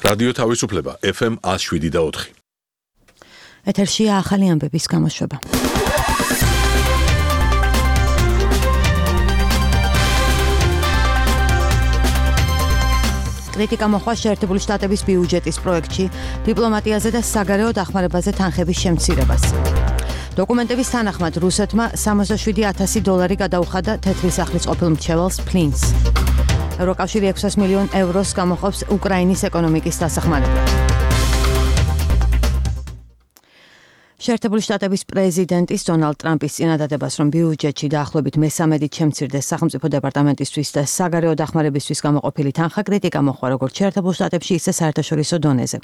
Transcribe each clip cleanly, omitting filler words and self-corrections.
რადიო თავისუფლება FM 107.4. ეთერშია ახალი ამბების გამოშვება. კრიტიკა მოხდა შეერთებული შტატების ბიუჯეტის პროექტში, დიპლომატიაზე და საგარეო დახმარებაზე თანხების შემცირებას. დოკუმენტების თანახმად რუსეთმა $67,000 გადაუხადა თეთრი სახლის ყოფილ მრჩეველს ფლინს. ევროკავშირი 600 მილიონ ევროს გამოყოფს უკრაინის ეკონომიკის დასახმარებლად. შეერთებული შტატების პრეზიდენტის დონალდ ტრამპის წინადადებას, რომ ბიუჯეტში დაახლოებით მესამედით შემცირდეს სახელმწიფო დეპარტამენტისთვის და საგარეო დახმარებისთვის გამოყოფილი თანხა, კრიტიკა მოხდა როგორც შეერთებულ შტატებში, ისე საერთაშორისო დონეზე.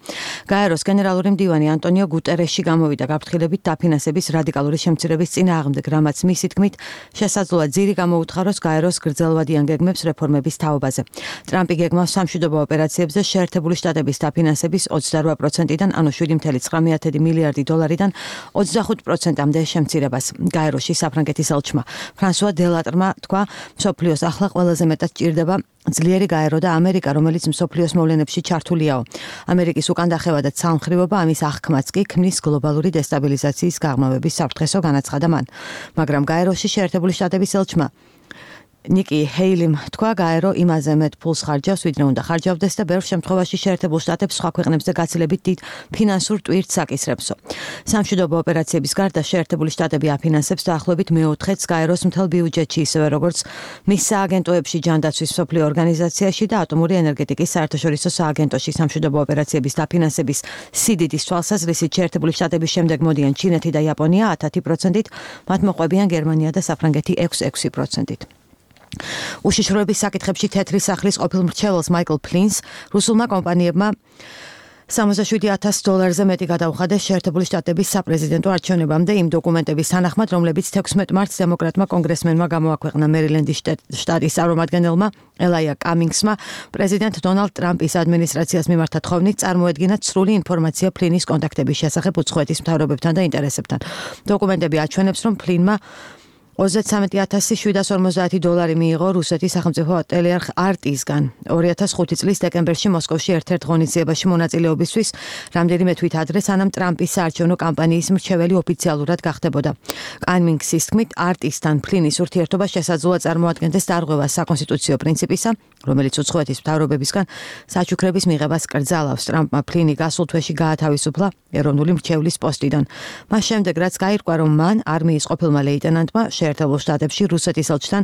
გაეროს გენერალური მდივანი ანტონიო გუტერეში გამოვიდა გაფრთხილებით დაფინანსების რადიკალური შემცირების წინააღმდეგ, რამაც მისი თქმით შესაძლოა ძირი გამოუთხაროს გაეროს გრძელვადიან გეგმებს რეფორმების თაობაზე. ტრამპი გეგმავს სამშვიდობო ოპერაციებზე შეერთებული შტატების დაფინანსების 28%-დან, ანუ $7.9 მილიარდიდან 25%-მდე შემცირებას. გაეროში საფრანგეთის ელჩმა ფრანსუა დელატრმა თქვა, მსოფლიოს ახლა ყველაზე მეტად ჭირდება ძლიერი გაერო და ამერიკა, რომელიც მსოფლიოს მოვლენებში ჩართულიაო. ამერიკის უკან დახევა და ცალმხრივობა ამის აღქმაც კი ქმნის გლობალური დესტაბილიზაციის გაღრმავების საფრთხესო განაცხადა მან. მაგრამ გაეროში შეერთებული შტატების ელჩმა ნიკი ჰეილიმ თქვა, გაერო იმაზე მეტ ფულს ხარჯავს, ვიდრე უნდა ხარჯავდეს და ბევრ შემთხვევაში შეერთებულ შტატებს სხვა ქვეყნებზე გაცილებით დიდ ფინანსურ ტვირთს აკისრებსო. სამშვიდობო ოპერაციების გარდა შეერთებული შტატები აფინანსებს დაახლოებით მეოთხედს გაეროს მთელ ბიუჯეტში, ისევე როგორც მის სააგენტოებში, ჯანდაცვის მსოფლიო ორგანიზაციაში და ატომური ენერგეტიკის საერთაშორისო სააგენტოში. სამშვიდობო ოპერაციების დაფინანსების სიდიდის თვალსაზრისით შეერთებული შტატების შემდეგ მოდიან ჩინეთი და იაპონია 10%-ით, მათ მოყვებიან გერმანია და საფრანგეთი 6%-ით. უშიშროების საკითხებში თეთრი სახლის ყოფილ მრჩეველს მაიკლ ფლინს რუსულმა კომპანიებმა $67,000-ზე მეტი გადაუხადეს შეერთებული შტატების საპრეზიდენტო არჩევნებამდე იმ დოკუმენტების თანახმად, რომლებიც 16 მარტს დემოკრატმა კონგრესმენმა გამოაქვეყნა მერილენდის შტატის წარმომადგენელმა ელაია კამინგსმა პრეზიდენტ დონალდ ტრამპის ადმინისტრაციას მიმართა თხოვნით წარმოედგინა სრული ინფორმაცია ფლინის კონტაქტების შესახებ უცხოეთის მთავრობებთან და ინტერესებთან. დოკუმენტები აჩვენებს, რომ ფლინმა $33,750 მიიღო რუსეთის სახელმწიფო ტელეარხ RT-სგან 2005 წლის დეკემბერში მოსკოვში ერთ-ერთ ღონისძიებაში მონაწილეობისთვის, რამდენიმე თვით ადრე, სანამ ტრამპის საარჩევნო კამპანიის მრჩეველი ოფიციალურად გახდებოდა. კამინგსის თქმით, RT-სთან ფლინის ურთიერთობა შესაძლოა წარმოადგენდეს დარღვევას საკონსტიტუციო პრინციპისა, რომელიც უცხოეთის მთავრობებისგან საჩუქრების მიღებას კრძალავს. ტრამპმა ფლინი გასულ თვეში გაათავისუფლა ეროვნული მრჩევლის პოსტიდან. მას შემდეგ, რაც გაირკვა, რომ მან არმიის ყოფილმა ლეიტენანტმა შეერთებულ შტატებში რუსეთის ელჩთან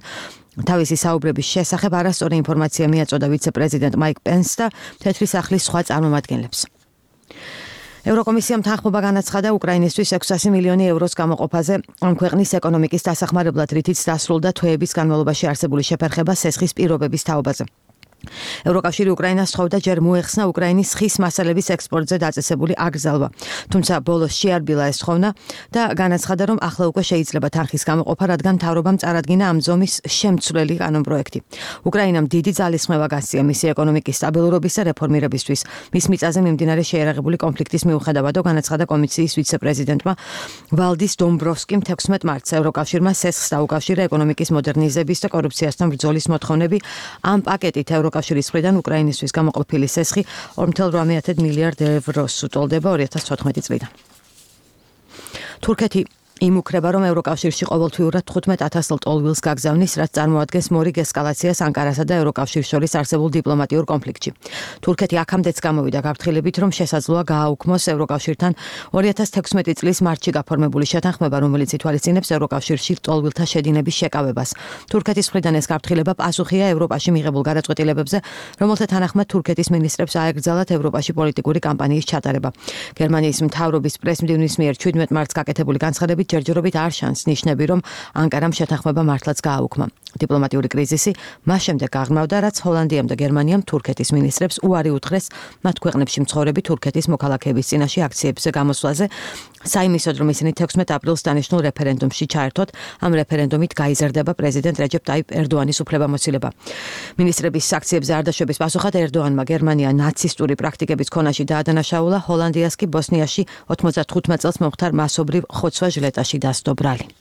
თავისი საუბრების შესახებ არასწორი ინფორმაცია მიაწოდა ვიცე-პრეზიდენტ მაიკ პენსს და თეთრი სახლის სხვა წარმომადგენლებს. ევროკომისიამ თანხმობა განაცხადა უკრაინისთვის 600 მილიონი ევროს გამოყოფაზე ამ ქვეყნის ეკონომიკის დასახმარებლად, რითიც დასრულდა თვეების განმავლობაში არსებული შეფერხება სესხის პირობების თაობაზე. ევროკავშირი უკრაინას სთხოვდა ჯერ მოეხსნა უკრაინის ხის მასალების ექსპორტზე დაწესებული აკრძალვა. თუმცა ბოლოს შეარბილა ეს თხოვნა და განაცხადა, რომ ახლა უკვე შეიძლება თანხის გამოყოფა, რადგან მთავრობამ წარადგინა ამ ზომის შემცვლელი კანონპროექტი. უკრაინამ დიდი ძალისხმევა გასწია მისი ეკონომიკის სტაბილურობის და რეფორმირებისთვის. მის მიწაზე მიმდინარე შეერაღებული კონფლიქტის მიუხედავადო, განაცხადა კომისიის ვიცე-პრეზიდენტმა ვალდის დომბროვსკიმ 16 მარტს ევროკავშირმა სესხს დაუკავშირა ეკონომიკის მოდერნიზების და კორუფციასთან ბრძოლის მოთხოვნები. ამ პაკეტით ევროკავშირის მხრიდან უკრაინისთვის გამოყოფილი სესხი 2.8 მილიარდ ევროს უტოლდება 2014 წლიდან. თურქეთი იმუქრება, რომ ევროკავშირში ყოველთვიურად 15,000 ლტოლვილს გაგზავნის, რაც წარმოადგენს მორიგ ესკალაციას ანკარასა და ევროკავშირის შორის არსებულ დიპლომატიურ კონფლიქტში. თურქეთი აქამდეც გამოვიდა გაფრთხილებით, რომ შესაძლოა გააუქმოს ევროკავშირთან 2016 წლის მარტში გაფორმებული შეთანხმება, რომელიც ითვალისწინებს ევროკავშირში ლტოლვილთა შედინების შეკავებას. თურქეთის მხრიდან ეს გაფრთხილება პასუხია ევროპაში მიღებულ გადაწყვეტილებებზე, რომელთა თანახმად თურქეთის მინისტრებს აეკრძალათ ევროპაში პოლიტიკური კამპანიის ჩატარება. გერმანიის მთავრობის პრესმდივნის მიერ 17 მარტს გაკეთებული განცხადებით ჯერჯერობით არ შანს ნიშნები, რომ ანკარამ შეთანხმება მართლაც გააუქმა. დიპლომატიური კრიზისი მას შემდეგ გაღრმავდა, რაც ჰოლანდიამ და გერმანიამ თურქეთის მინისტრებს უარი უთხრეს მათ ქვეყნებში მცხოვრები თურქეთის მოქალაქეების წინაშე აქციებზე გამოსვლაზე, საიმისოდ, რომ ისინი 16 აპრილს დანიშნულ რეფერენდუმში ჩაერთვათ. ამ რეფერენდუმით გაიზარდება პრეზიდენტ რეჯეპ ტაიპ ერდოანის უფლებამოსილება. მინისტრების აქციებზე არ დაშვების პასუხად ერდოანმა გერმანია ნაცისტური პრაქტიკების ქონაში დაადანაშაულა, ჰოლანდიას კი ბოსნიაში 95 წელს მომხდარ მასობრივ ხოცვა ჟლეტაში დასდო ბრალი.